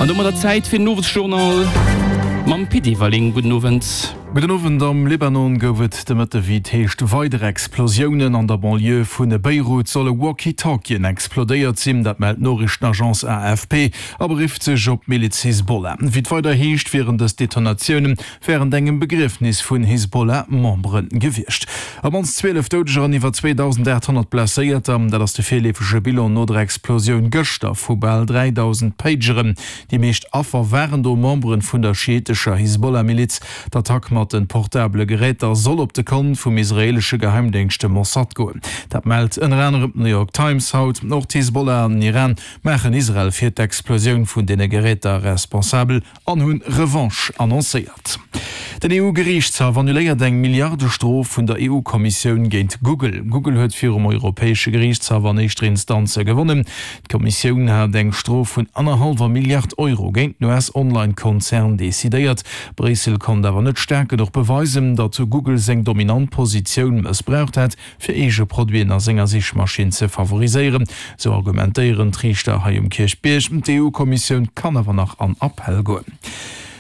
An domadder Zäit fir den Owesjournal mam Pit Everling. Gudden Owend. Gudden Owend. Am Libanon gouf et de Mëtte wéi et heescht weider Explosiounen. An der Banlieue vu Beirut solle Walkie-Talkien explodéiert sinn. Dat mellt d'Noriichtenagence AFP a berifft sech op d'Miliz Hisbollah. Wéi et weider heescht, wieren dës Detonatioune wärend engem Begriefnis vun Hisbollah-Membere gewiescht. Op mannst 12 Doudeger an iwwer 2.800 Blesséierter, dat ass de virleefege Bilan no der Explosioun gëschter vu bal 3.000 Pageren. Déi meescht Affer waren do Membere vun der schiitescher Hisbollah-Miliz. D'Attack mat de portabele Geräter soll op de Kont vum israeelesche Geheimdéngscht dem Mossad goen. Dat mellt ënner anerem d'New York Times haut. Och d'Hisbollah an den Iran maachen Israel fir d'Explosioun vun deene Geräter responsabel. An hunn Revanche annoncéiert. Den EU-Geriichtshaff annuléiert eng Milliardestrof vun der EU-Kommissioun géint Google. Google huet virum Europäesche Geriichtshaff an éischter Instanz gewonnen. D'Kommissioun hat eng Strof vun annerhallwer Milliard Euro géint den US-Online-Konzern decidéiert. Bréissel konnt awer net staark genuch beweisen, datt Google seng dominant Positioun mëssbraucht hätt, fir eege Produiten a senger Sichmaschinn ze favoriséieren, sou argumentéieren d'Riichter hei um Kierchbierg. D'EU-Kommissioun kann awer nach an Appell goen.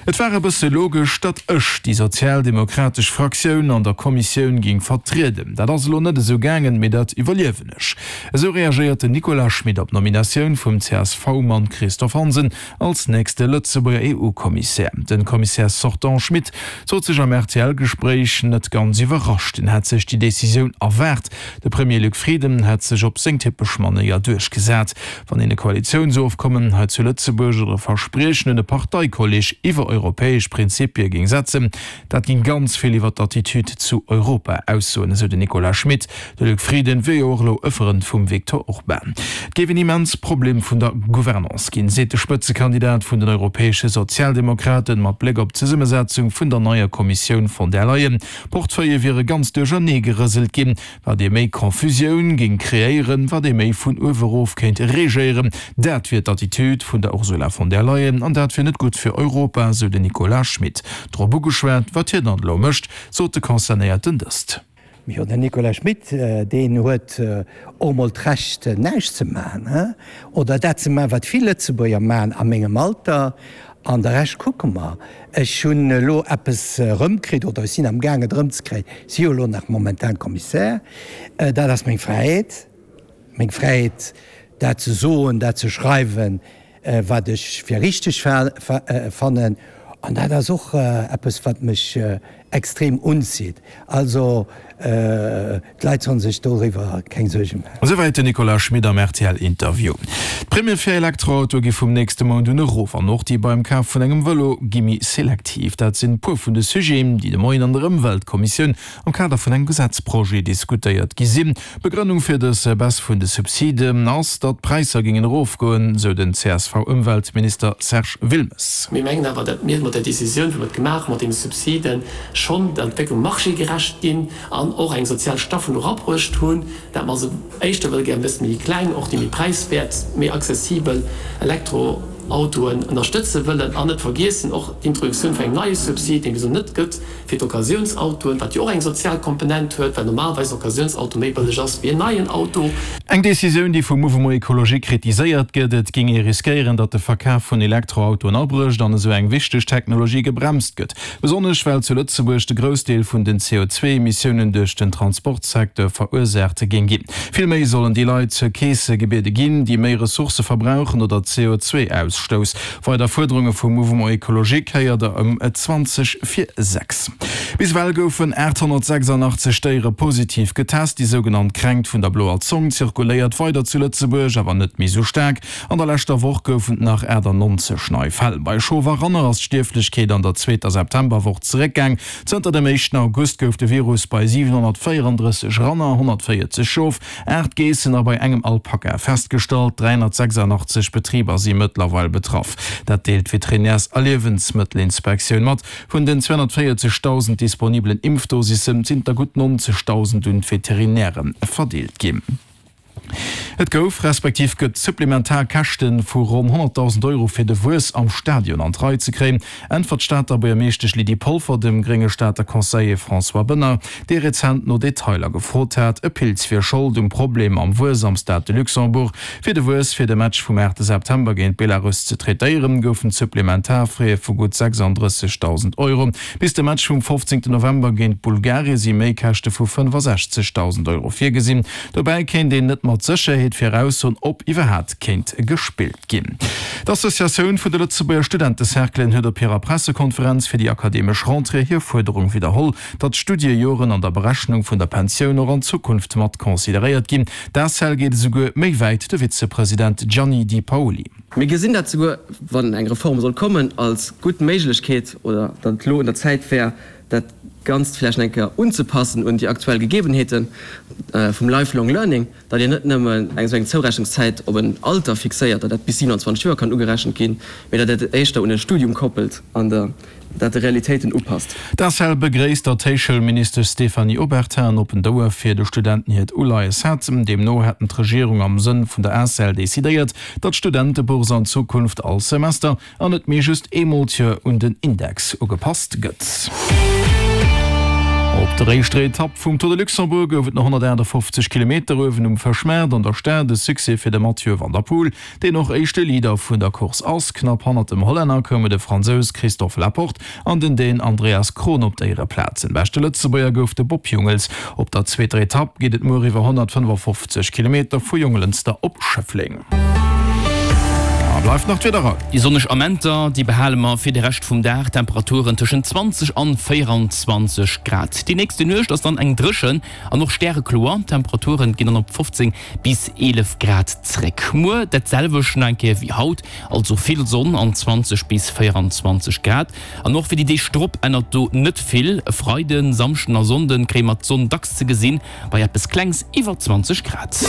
Et war e bësse logesch, datt ech déi sozialdemokratesch Fraktioun an der Kommissioun géing vertrieden. Dat ass elo net esou gaangen, mee dat iwwerliewen ech. Esou reagéiert den Nicolas Schmit op d'Nominatioun vum CSV-Mann Christophe Hansen Als nächste Lëtzebuerger EU-Kommissär. Den Commissaire sortant Schmit sot sech am RTL-Gespréich net ganz iwwerrascht. En hätt sech déi Decisioun erwaart. De Premier Luc Frieden hätt sech op seng typesch Manéier duerchgesat. Wann een e Koalitiounsofkommen hei zu Lëtzebuerg oder e Verspriechen un e Parteikolleg iwwer europäesch Prinzipie géing setzen, Dat ging ganz vill iwwer d'Attitude zu Europa aussoen, esou den Nicolas Schmit. De Luc Frieden wier jo och elo e Frënd vum Viktor Orban. Et géif en immens Problem vun der Gouvernance ginn, seet de Spëtzekandidat vun den europäesche Sozialdemokraten mat Bléck op d'Zesummesetzung vun der neier Kommissioun von der Leyen. D'Portefeuillë wiere ganz duerchernee gerëselt ginn. Wat ee méi Confusioun géing kreéieren, wat ee méi vun uewe rof kéint regéieren, dat wier d'Attitude vun der Ursula von der Leyen an dat wier net gutt fir Europa, sou den Nicolas Schmit. Drop ugeschwat, wat hien dann elo mécht, sot de Concernéierten dëst. Jo, den Nicolas Schmit, deen huet och mol d'Recht näischt ze maachen, oder dat ze maachen, wat vill Lëtzebuerger maachen a mengem Alter, An de Rescht kucke mer. Ech hunn elo eppes erëmkritt, oder ech sinn am Gaang et erëmzekréien, ech si jo elo nach momentan Kommissär, dat ass meng Fräiheet, meng Fräiheet dat ze soen, dat ze schreiwen, wat ech fir richteg fannen. An dat ass och eppes, wat mech extrem unzitt. Also d'Leit sollen sech doriwwer keng Suerge maachen. Esouwäit den Nicolas Schmit am RTL-Interview. D'Primme fir Elektroautoe gi vum nächste Mount un erof an och déi beim Kaf vun engem Vëlo gi méi selektiv. Dat sinn puer vun de Sujeten, déi de Moien an der Ëmweltkommissioun am Kader vun engem Gesetzprojet diskutéiert gi sinn. D'Begrënnung fir dës Baisse vun de Subsiden ass, datt d'Präisser géingen erofgoen, sou den CSV-Ëmweltminister Serge Wilmes. Mir mengen awer, datt mir mat där Décisioun, wou mer et gemaach hu mat deene Subsiden, schonn der Entwécklung marchégerecht ginn an och eng sozial Staffelung erabruecht hunn, dat mer se éischter wëlle gär e bësse méi kleng, och déi méi präiswäert, méi accessibel Elektroautoen ënnerstëtze wëllen an net vergiessen och d'Introduktioun vun engem neie Subsid, deen et bis elo net gëtt, fir d'Occasiounsautoen, wat jo och eng sozial Komponent huet, well normalerweis en Occasiounsauto méi bëlleg ass wéi en neien Auto. Eng Decisioun, déi vum Mouvement Ecologique kritiséiert gëtt. Et géing ee riskéieren, datt de Verkaf vun Elektroautoen abrécht an esou eng wichteg Technologie gebremst gëtt. Besonnesch well zu Lëtzebuerg de Groussdeel vun den CO2-Emissiounen duerch den Transportsecteur verursaacht géing ginn. Vill méi sollen déi Leit zur Keese gebiede ginn, déi méi Ressourcë verbrauchen oder CO2-Ausstouss. Weider Fuerderunge vum Mouvement Ecologique héiert der ëm 20 vir 6. Bis ewell goufen 886 Déiere positiv getest. Déi sougenannt Kränkt vun der bloer Zong zirkuléiert weider zu Lëtzebuerg, awer net méi sou staark. An der leschter Woch goufen et nach 98 nei Fäll. Bei Schof a Ranner ass d'Stierflechkeet an der zweeter Septemberwoch zeréckgaang. Zënter dem éischten August gouf de Virus bei 734 Ranner, 140 Schof, 8 Geessen a bei engem Alpaka festgestallt. 386 Betriber si mëttlerweil betraff. Dat deelt d'Veterinärs a Liewensmëttelinspektioun mat. Vun den 240.000 disponibelen Impfdosisse sinn der gutt 90.000 un d'Veterinäre verdeelt ginn. Et gouf, respektiv gëtt supplementar Käschte vu ronn 100.000 Euro fir de Wuess am Stadion an d'Rei ze kréien, äntwert d'Stater Buergermeeschtesch Lydie Polfer dem grénge Stater Conseiller François Benoy, dee rezent no Detailer gefrot hat. E Pilz wier Schold um Problem mam Wuess am Stade de Luxembourg. Fir de Wuess fir de Match vum 8 September géint Belarus ze traitéieren, goufen supplementar Frais vu gutt 36.000 Euro. Bis de Match vum 15 November géint Bulgarie si Méikäschte vu 65.000 Euro virgesinn. Dobäi kéint een net mat Sécherheet viraussoen, ob iwwerhaat kéint gespillt ginn. D'Associatioun vun de Lëtzebuerger Studentecerclen huet op hirer Pressekonferenz fir déi akademesch Rentrée hir Fuerderung widderholl, datt d'Studiejoren an der Berechnung vun der Pensioun och an Zukunft mat consideréiert ginn. D'ACEL geet esouguer méi wäit, de Vizepresident Gianni Di Paoli. Mir gesinn dat souguer, wann eng Reform soll kommen, als gutt Méiglechkeet oder datt et elo un der Zäit wär, dat Ganzt vläicht eng Kéier unzepassen un déi aktuell Gegebenheete vum Lifelong Learning, datt een net nëmmen eng esou eng Zourechnungszäit op en Alter fixéiert, datt dat bis 27 Joer kann ugerechent ginn, mee datt dat et éischter un e Studium koppelt an der dat de Realitéiten upasst. D'ACEL begréisst, datt d'Héichschoulministesch Stéphanie Obertin en oppent Ouer fir de Studenten hiert Uleies hat. Deemno hätten d'Regierung am Sënn vun der ACEL decidéiert, datt d'Studentebourse an Zukunft all Semester an net méi just eemol d'Joer un den Index ugepasst gëtt. Op der éischter Etapp vum Tour de Luxembourg gouf et no 158 Kilometer uewen um Fëschmaart an der Stad e Succès fir de Mathieu van der Poel, deen och éischte Leader vun der Course ass. Knapp hannert dem Hollänner koume de Fransous Christophe Laporte an den Dän Andreas Kron op d'Éiereplazen. Beschte Lëtzebuerger gouf de Bob Jungels. Op der zweeter Etapp geet et muer iwwer 155 Kilometer vu Jonglënster op Schëffleng. A bleift nach d'Wiederall. Déi sonneg Amenter, déi behale mer fir de Rescht vum Dag, Temperaturen tëschent 20 an 24 Grad. Déi nächste Nuecht ass dann eng dréchen an och stärekloer, d'Temperaturen ginn dann op 15 bis 11 Grad zréck. Muer dat selwecht nach eng Kéier wéi haut, also vill Sonn an 20 bis 24 Grad. An och fir déi Deeg drop ännert do net vill. E Freiden, Samschden a Sonnden kréie mer d'Sonn dacks ze gesinn, bei eppes klengs iwwer 20 Grad.